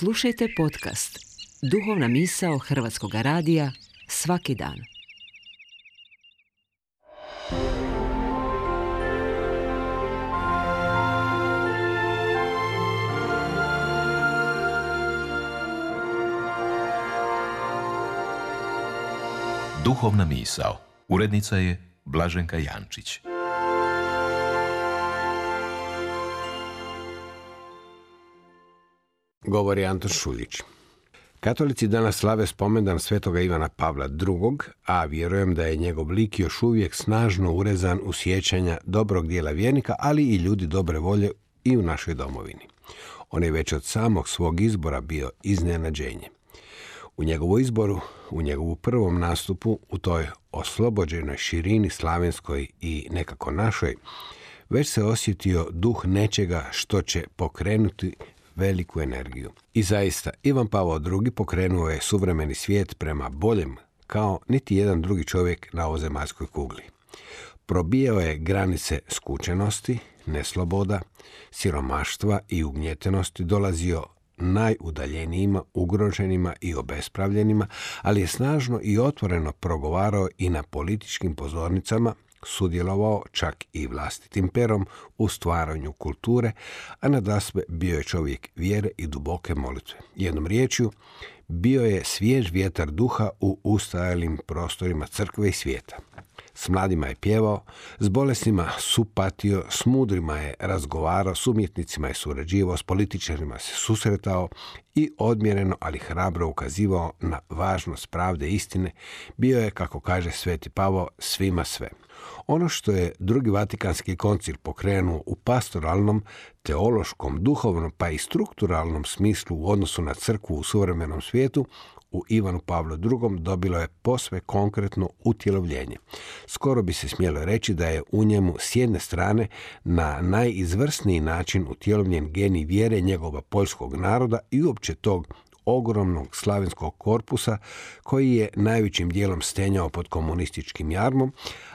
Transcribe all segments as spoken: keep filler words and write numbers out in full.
Slušajte podcast Duhovna misao Hrvatskog radija svaki dan. Duhovna misao. Urednica je Blaženka Jančić. Govori Anton Šuljić. Katolici danas slave spomendan svetoga Ivana Pavla drugog, a vjerujem da je njegov lik još uvijek snažno urezan u sjećanja dobrog dijela vjernika, ali i ljudi dobre volje i u našoj domovini. On je već od samog svog izbora bio iznenađenje. U njegovu izboru, u njegovu prvom nastupu, u toj oslobođenoj širini slavenskoj i nekako našoj, već se osjetio duh nečega što će pokrenuti veliku energiju. I zaista, Ivan Pavao drugi pokrenuo je suvremeni svijet prema boljem, kao niti jedan drugi čovjek na ovozemaljskoj kugli. Probijao je granice skučenosti, nesloboda, siromaštva i ugnjetenosti, dolazio najudaljenijima, ugroženima i obespravljenima, ali je snažno i otvoreno progovarao i na političkim pozornicama, sudjelovao čak i vlastitim perom u stvaranju kulture, a nadasve bio je čovjek vjere i duboke molitve. Jednom riječju, bio je svjež vjetar duha u ustajalim prostorima crkve i svijeta. S mladima je pjevao, s bolesnima supatio, s mudrima je razgovarao, s umjetnicima je surađivao, s političarima se susretao i odmjereno, ali hrabro ukazivao na važnost pravde i istine. Bio je, kako kaže Sveti Pavao, svima sve. Ono što je drugi Vatikanski koncil pokrenuo u pastoralnom, teološkom, duhovnom pa i strukturalnom smislu u odnosu na crkvu u suvremenom svijetu, u Ivanu Pavlu drugom dobilo je posve konkretno utjelovljenje. Skoro bi se smjelo reći da je u njemu s jedne strane na najizvrsniji način utjelovljen genij vjere njegova poljskog naroda i uopće tog ogromnog slavenskog korpusa koji je najvećim dijelom stenjao pod komunističkim jarmom,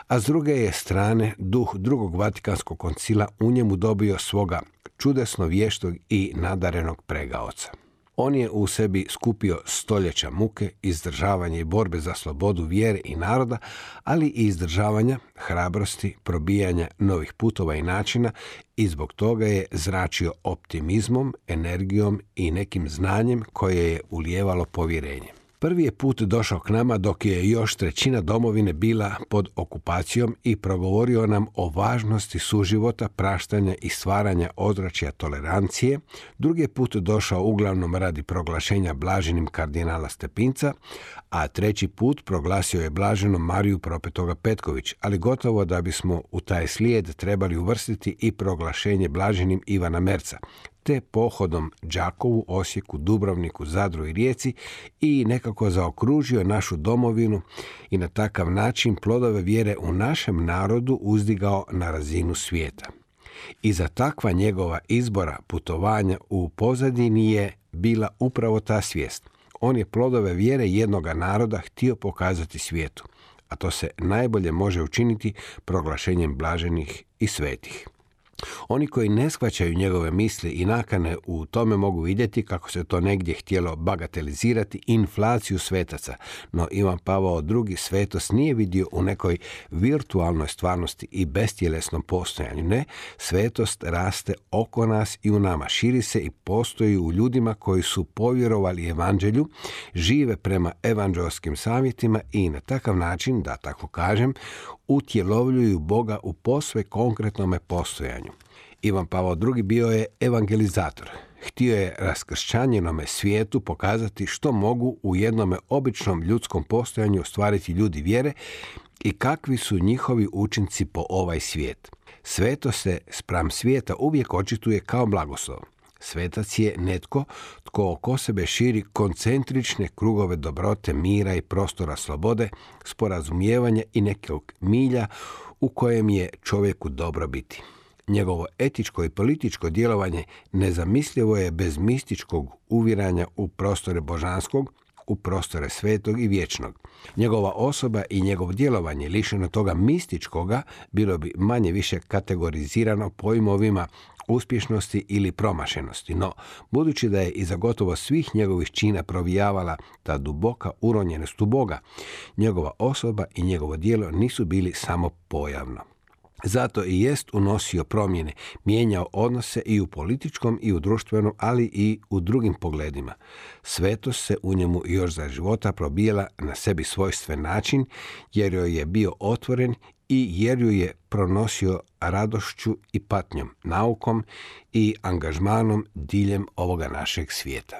a s druge je strane duh drugog Vatikanskog koncila u njemu dobio svoga čudesno vještog i nadarenog pregaoca. On je u sebi skupio stoljeća muke, izdržavanja i borbe za slobodu vjere i naroda, ali i izdržavanja, hrabrosti, probijanja novih putova i načina i zbog toga je zračio optimizmom, energijom i nekim znanjem koje je ulijevalo povjerenje. Prvi je put došao k nama dok je još trećina domovine bila pod okupacijom i progovorio nam o važnosti suživota, praštanja i stvaranja ozračja tolerancije. Drugi je put došao uglavnom radi proglašenja blaženim kardinala Stepinca, a treći put proglasio je blaženom Mariju Propetoga Petković, ali gotovo da bismo u taj slijed trebali uvrstiti i proglašenje blaženim Ivana Merca, te pohodom Đakovu, Osijeku, Dubrovniku, Zadru i Rijeci i nekako zaokružio našu domovinu i na takav način plodove vjere u našem narodu uzdigao na razinu svijeta. I za takva njegova izbora putovanja u pozadini je bila upravo ta svijest. On je plodove vjere jednoga naroda htio pokazati svijetu, a to se najbolje može učiniti proglašenjem blaženih i svetih. Oni koji ne shvaćaju njegove misli i nakane u tome mogu vidjeti kako se to negdje htjelo bagatelizirati inflaciju svetaca, no Ivan Pavao drugi svetost nije vidio u nekoj virtualnoj stvarnosti i bestjelesnom postojanju. Ne, svetost raste oko nas i u nama, širi se i postoji u ljudima koji su povjerovali evanđelju, žive prema evanđelskim savjetima i na takav način, da tako kažem, utjelovljuju Boga u posve konkretnome postojanju. Ivan Pavao drugi bio je evangelizator. Htio je raskršćanjenome svijetu pokazati što mogu u jednome običnom ljudskom postojanju ostvariti ljudi vjere i kakvi su njihovi učinci po ovaj svijet. Sveto se spram svijeta uvijek očituje kao blagoslov. Svetac je netko tko oko sebe širi koncentrične krugove dobrote, mira i prostora slobode, sporazumijevanja i nekog milja u kojem je čovjeku dobro biti. Njegovo etičko i političko djelovanje nezamislivo je bez mističkog uviranja u prostore božanskog, u prostore svetog i vječnog. Njegova osoba i njegovo djelovanje lišeno toga mističkoga bilo bi manje više kategorizirano pojmovima uspješnosti ili promašenosti, no budući da je iza gotovo svih njegovih čina provijavala ta duboka uronjenost u Boga, njegova osoba i njegovo djelo nisu bili samo pojavno. Zato i jest unosio promjene, mijenjao odnose i u političkom i u društvenom, ali i u drugim pogledima. Svetost se u njemu još za života probijala na sebi svojstven način, jer joj je bio otvoren i jer ju je pronosio radošću i patnjom, naukom i angažmanom diljem ovoga našeg svijeta.